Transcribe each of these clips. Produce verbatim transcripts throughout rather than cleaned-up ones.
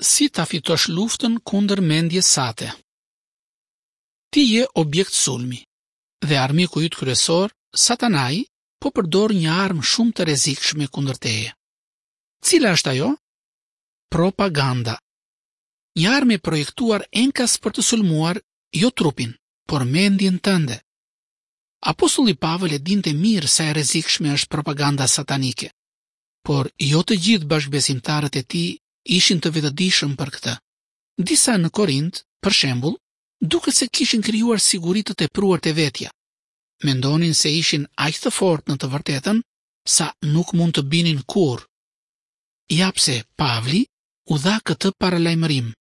Si ta fitosh luftën kundër mendjes sate? Ti je objekt sulmi dhe armiku yt kryesor, Satanai, po përdor një armë shumë të rrezikshme kundër teje. Cila është ajo? Propaganda. Një armë e projektuar enkas për të sulmuar jo trupin, por mendjen tënde. Apostulli Pavël e dinte mirë sa e rrezikshme është propaganda satanike, por jo të gjithë bashkëbesimtarët e tij ishin të vetëdijshëm për këtë. Disa në Korint, për shembull, duket se kishin krijuar siguri të tepruar te vetja. Mendonin se ishin aq të fortë në të vërtetën sa nuk mund të binin kurrë. Ja pse Pavli u dha këtë paralajmërim.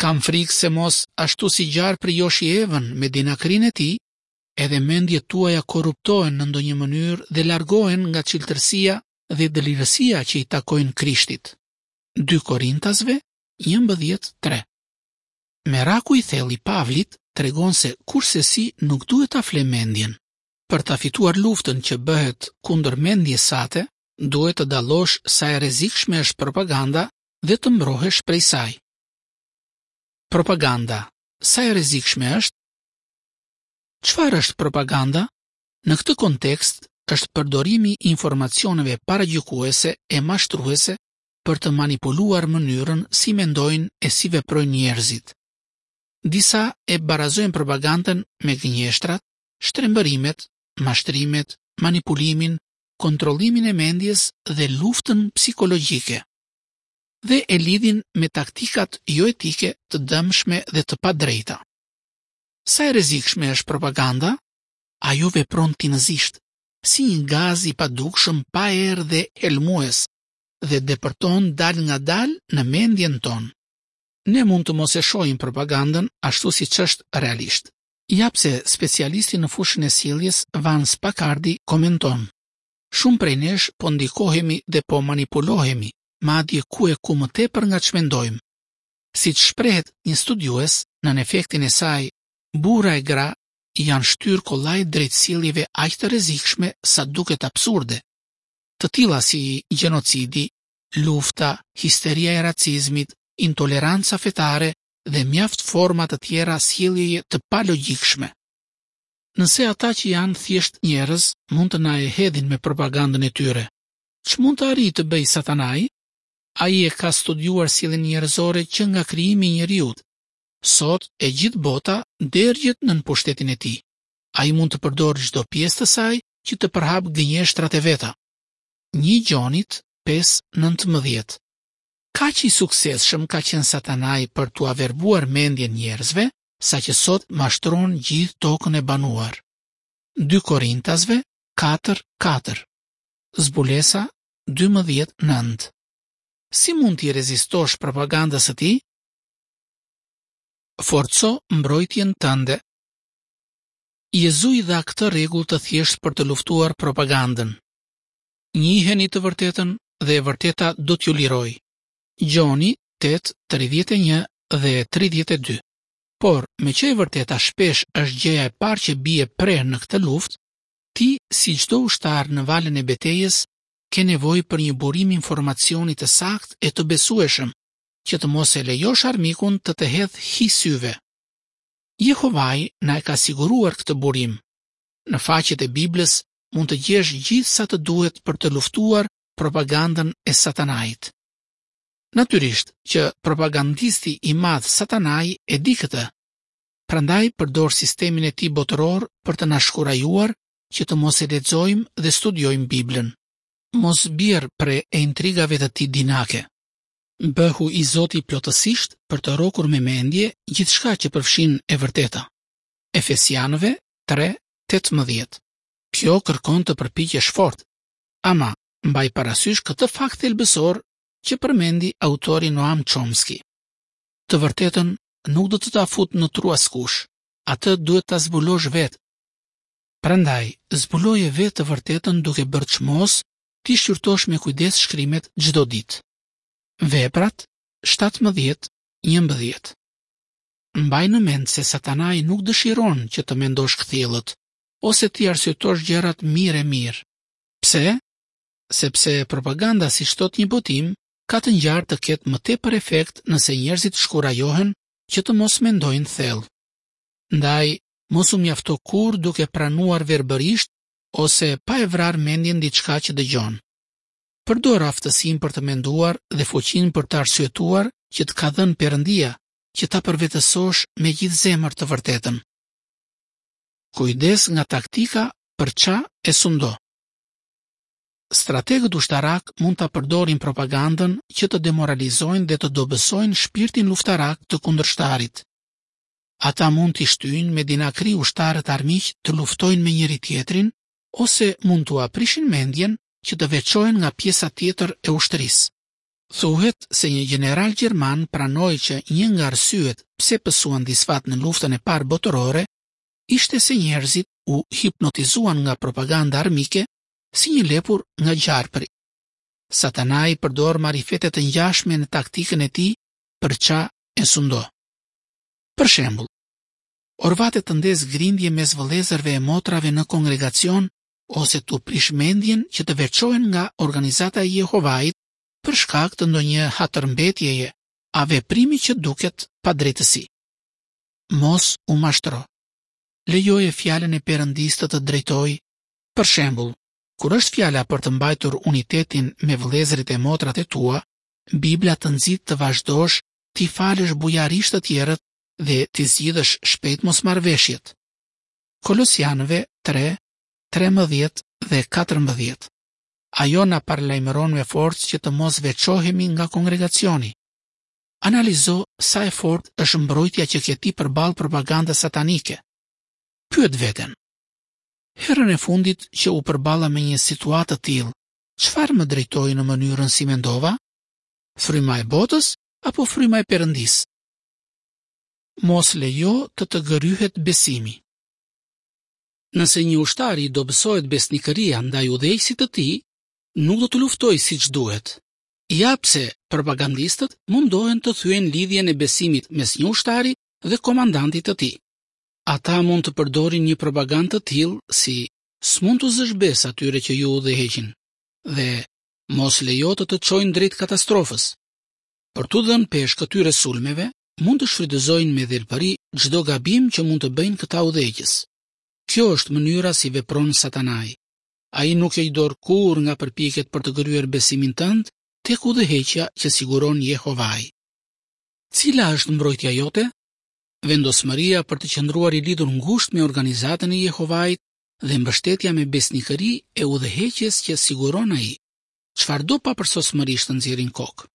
Kam frikë se mos ashtu si gjarpri joshi Evën me dinakërinë e tij, edhe mendjet tuaja korruptohen në ndonjë mënyrë dhe largohen nga çiltërsia dhe dëlirësia që i takojnë Krishtit. Dy Korintasve njëmbëdhjetë tre. Meraku i thellë i Pavlit tregon se kursesi nuk duhet ta fle mendjen. Për ta fituar luftën që bëhet kundër mendjes sate, duhet të dallosh sa e rrezikshme është propaganda dhe të mbrohesh prej saj. Propaganda, sa e rrezikshme është? Çfarë është propaganda? Në këtë kontekst është përdorimi i informacioneve paragjykuese e mashtruese për të manipuluar mënyrën si mendojnë e si veprojnë njerëzit. Disa e barazojnë propagandën me gënjeshtrat, shtrembërimet, mashtrimet, manipulimin, kontrollimin e mendjes dhe luftën psikologjike. Dhe e lidhin me taktikat joetike të dëmshme dhe të padrejta. Sa e rrezikshme është propaganda? Ajo vepron tinëzisht, si një gaz i padukshëm pa erë dhe helmues, dhe depërton dal nga dal në mendjen tonë. Ne mund të mos e shohim propagandën ashtu siç është realisht. Ja pse specialisti në fushën e sjelljes Vance Pakardi komenton: Shumë prej nesh po ndikohemi dhe po manipulohemi, madje ku e ku më tepër nga ç'mendojmë. Siç shprehet një studiues, nën efektin e saj, burra e gra janë shtyrë kollaj drejt sjelljeve aq të rrezikshme sa duket absurde, të tilla si gjenocidi, lufta, histeria e racizmit, intoleranca fetare dhe mjaft forma të tjera sjelljeje të palogjikshme. Nëse ata që janë thjesht njerëz mund të na e hedhin me propagandën e tyre, ç'mund të arrijë të bëjë Satanai? Ai e ka studiuar sjelljen njerëzore që nga krijimi i njeriut. Sot e gjithë bota dergjet nën pushtetin e tij. Ai mund të përdorë çdo pjesë të saj që të përhap gënjeshtrat e veta. Një Gjonit pesë nëntëmbëdhjetë. Kaq i suksesshëm ka qenë Satanai për t'ua verbuar mendjen njerëzve, saqë sot mashtron gjithë tokën e banuar. Dy Korintasve katër katër. Zbulesa dymbëdhjetë nëntë. Si mund t'i rezistosh propagandës së tij? Forco mbrojtjen tënde. Jezui dha këtë rregull të thjeshtë për të luftuar propagandën. Njiheni të vërtetën dhe e vërteta do t'ju lirojë. Gjoni tetë, tridhjetë e një dhe tridhjetë e dy. Por, me që e vërteta shpesh është gjëja e parë që bie pre në këtë luftë, ti, si çdo ushtar në valën e betejës, ke nevojë për një burim informacioni të saktë e të besueshëm, që të mos e lejosh armikun të të hedhë hi syve. Jehovai na e ka siguruar këtë burim. Në faqet e Biblës mund të gjesh gjithë sa të duhet për të luftuar propagandën e Satanait. Natyrisht që propagandisti i madh Satanai e di këtë. Prandaj përdor sistemin e tij botëror për të na shkurajuar që të mos e lexojmë dhe studiojmë Biblën. Mos bjer pre e intrigave të tij dinake. Bëhu i zoti plotësisht për të rrokur me mendje gjithçka që përfshin e vërteta. Efesianëve tre tetëmbëdhjetë. Kjo kërkon të përpiqesh fort. Ama, mbaj parasysh këtë fakt thelbësor që përmendi autori Noam Chomsky. Të vërtetën nuk do të ta fut në tru askush, atë duhet ta zbulosh vetë. Prandaj, zbuloje vetë të vërtetën duke bërë çmos ti shqyrtosh me kujdes shkrimet çdo ditë. Veprat shtatëmbëdhjetë njëmbëdhjetë. Mbaj në mend se Satanai nuk dëshiron që të mendosh kthjellët ose ti arsyetosh gjërat mirë e mirë. Pse? Sepse propaganda, si thot një botim, ka të ngjarë të ketë më tepër efekt nëse njerëzit shkurajohen që të mos mendojnë thellë. Ndaj, mos u mjafto kurrë duke pranuar verbërisht ose pa e vrarë mendjen diçka që dëgjon. Përdor aftësinë për të menduar dhe fuqinë për të arsyetuar që të ka dhënë Perëndia, që ta përvetësosh me gjithë zemër të vërtetën. Kujdes nga taktika përça e sundo. Strategët ushtarak mund ta përdorin propagandën që të demoralizojnë dhe të dobësojnë shpirtin luftarak të kundërshtarit. Ata mund t'i shtyjnë me dinakri ushtarët armiq të luftojnë me njëri tjetrin ose mund t'ua prishin mendjen që të veçohen nga pjesa tjetër e ushtrisë. Thuhet se një gjeneral gjerman pranoi që një nga arsyet pse pësuan disfat në luftën e parë botërore ishte se njerëzit u hipnotizuan nga propaganda armike si një lepur nga gjarpri. Satanai përdor marifete të ngjashme në taktikën e tij përça e sundo. Për shembull, orvatet të ndez grindje mes vëllezërve e motrave në kongregacion ose t'u prish mendjen që të veçohen nga organizata e Jehovait për shkak të ndonjë hatërmbetjeje a veprimi që duket padrejtësi. Mos u mashtro. Lejoje fjalën e Perëndisë të të drejtojë. Për shembull, kur është fjala për të mbajtur unitetin me vëllezërit e motrat e tua, Bibla të nxit të vazhdosh t'i falësh bujarisht të tjerët dhe t'i zgjidhësh shpejt mosmarrëveshjet. Kolosianëve tre, trembëdhjetë dhe katërmbëdhjetë. Ajo na paralajmëron me forcë që të mos veçohemi nga kongregacioni. Analizo sa e fortë është mbrojtja që ke ti përballë propagandës satanike. Pyet veten. Herën e fundit që u përballa me një situatë të tillë, çfarë më drejtoi në mënyrën si mendova? Fryma e botës apo fryma e Perëndisë? Mos lejo të të gëryhet besimi. Nëse një ushtar i dobësohet besnikëria ndaj udhëheqësit të tij, nuk do të luftojë siç duhet. Ja pse propagandistët mundohen të thyejnë lidhjen e besimit mes një ushtari dhe komandantit të tij. Ata mund të përdorin një propagandë të tillë si s'mund t'u zësh besë atyre që ju udhëheqin dhe mos lejo të të çojnë drejt katastrofës. Për t'u dhënë peshë këtyre sulmeve, mund të shfrytëzojnë me dhelpëri çdo gabim që mund të bëjnë këta udhëheqës. Kjo është mënyra si vepron Satanai. Ai nuk e dorë kurrë nga përpjekjet për të gërryer besimin tënd tek udhëheqja që siguron Jehovai. Cila është mbrojtja jote? Vendosmëria për të qëndruar i lidhur ngushtë me organizatën e Jehovait dhe mbështetja me besnikëri e udhëheqjes që siguron ai, çfarëdo papërsosmërish të nxjerrin kokë.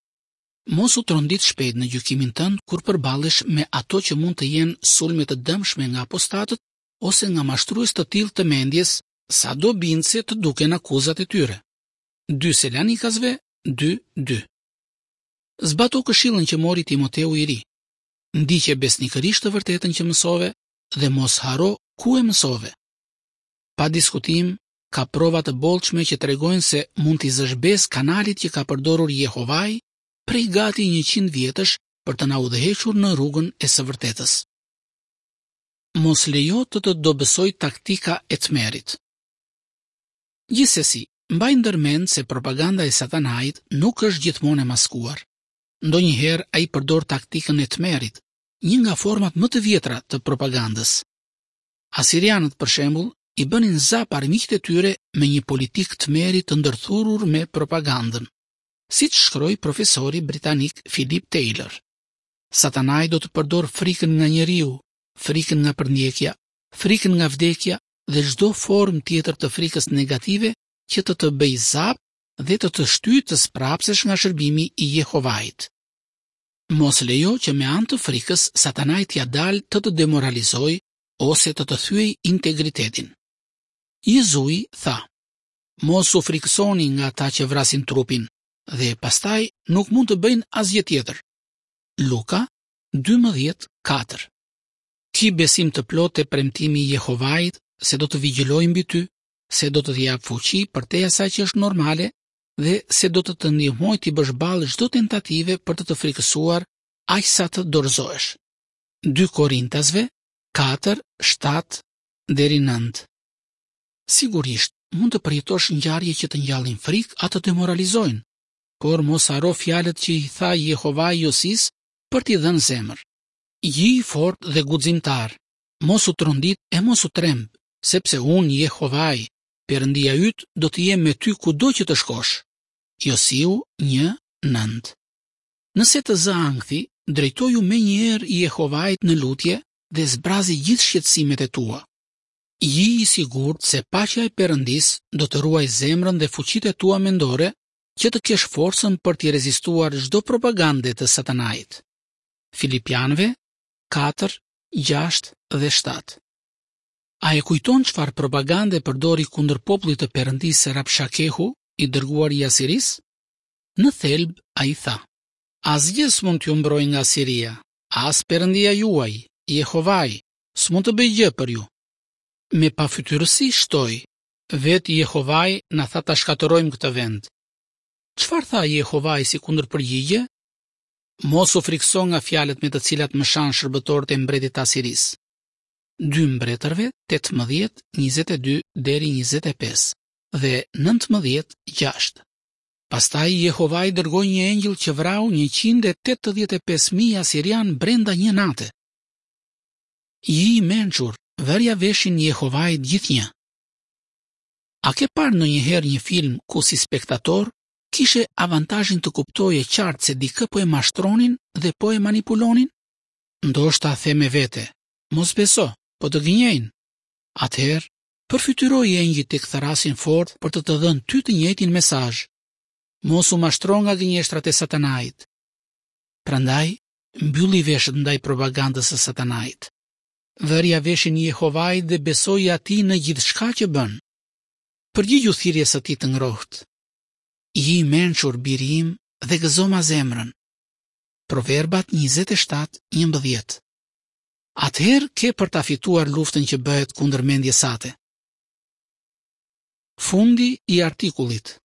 Mos u trondit shpejt në gjykimin tënd kur përballesh me ato që mund të jenë sulme të dëmshme nga apostatët ose nga mashtrues të tillë të mendjes, sado bindëse të duken akuzat e tyre. dy Selanikasve dy dy. Zbato këshillën që mori Timoteu i ri. Ndiqe besnikërisht të vërtetën që mësove dhe mos harro ku e mësove. Pa diskutim, ka prova të bollshme që tregojnë se mund t'i zësh besë kanalit që ka përdorur Jehovai prej gati njëqind vjetësh për të na udhëhequr në rrugën e së vërtetës. Mos lejo të të dobësoj taktika e tmerrit. Gjithsesi, mbaj ndërmend se propaganda e Satanait nuk është gjithmonë e maskuar. Ndonjëherë ai përdor taktikën e tmerrit, një nga format më të vjetra të propagandës. Asirianët, për shembull, i bënin zap armiqtë e tyre me një politikë tmerri të ndërthurur me propagandën, siç shkroi profesori britanik Philip Taylor. Satanai do të përdor frikën nga njeriu, frikën nga përndjekja, frikën nga vdekja dhe çdo formë tjetër të frikës negative që të të bëjë zap dhe të të shtyjë të sprapsesh nga shërbimi i Jehovait. Mos lejo që me anë të frikës Satanai t'ia dalë të të demoralizojë ose të të thyej integritetin. Jezui tha: Mos u frikësoni nga ata që vrasin trupin dhe pastaj nuk mund të bëjnë asgjë tjetër. Luka dymbëdhjetë katër. Ki besim të plotë te premtimi i Jehovait se do të vigjilojë mbi ty, se do të të japë fuqi për te asaj që është normale dhe se do të të ndihmojë t'i bësh ballë çdo tentative për të të frikësuar aq sa të dorëzohesh. dy Korintasve katër shtatë deri nëntë. Sigurisht, mund të përjetosh ngjarje që të ngjallin frikë a të demoralizojnë, Por mos harro fjalët që i tha Jehovai Josisë për t'i dhënë zemër. Ji i fortë dhe guximtar, mos u trondit e mos u tremb, sepse unë Jehovai, Perëndia yt, do të jem me ty kudo që të shkosh. Josiu një nëntë. Nëse të zë ankthi, drejtoju menjëherë Jehovait në lutje dhe zbrazi gjithë shqetësimet e tua. Ji i sigurt se paqja e Perëndisë do të ruajë zemrën dhe fuqitë e tua mendore që të kesh forcën për t'i rezistuar çdo propagande të Satanait. Filipianëve katër, gjashtë dhe shtatë. A e kujton çfarë propagande përdori kundër popullit të Perëndisë Rabshakehu, i dërguar i Asirisë? Në thelb ai tha: Asgjë s'mund t'ju mbrojë nga Asiria, as Perëndia juaj, Jehovai, s'mund të bëjë gjë për ju. Me pafytyrësi shtoi: Vetë Jehovai na tha ta shkatërrojmë këtë vend. Çfarë tha Jehovai si kundërpërgjigje? Mos u frikso nga fjalët me të cilat më shan shërbëtorët e mbretit të Asirisë. Dy mbretërve tetëmbëdhjetë, njëzet e dy deri njëzet e pesë dhe nëntëmbëdhjetë, gjashtë. Pastaj Jehovai dërgoi një engjëll që vrau njëqind e tetëdhjetë e pesë mijë asirian brenda një nate. Ji i mençur, vërja veshin Jehovait gjithnjë. A ke parë ndonjëherë një film ku si spektator kishe avantazhin të kuptoje qartë se dikë po e mashtronin dhe po e manipulonin? Ndoshta the me vete, mos beso, po të gënjejnë. Atëherë, përfytyroi engjëjt tek thërrasin fort për të të dhënë ty të njëjtin mesazh. Mos u mashtro nga gënjeshtrat e Satanait. Prandaj, mbylli veshët ndaj propagandës së Satanait. Vërja veshin Jehovait dhe besoi atij në gjithçka që bën. Përgjigju thirrjes së tij të ngrohtë. Ji i mençur, biri im, dhe gëzoma zemrën. Proverbat njëzet e shtatë, njëmbëdhjetë. Atëherë ke për ta fituar luftën që bëhet kundër mendjes sate. Fundi i artikullit.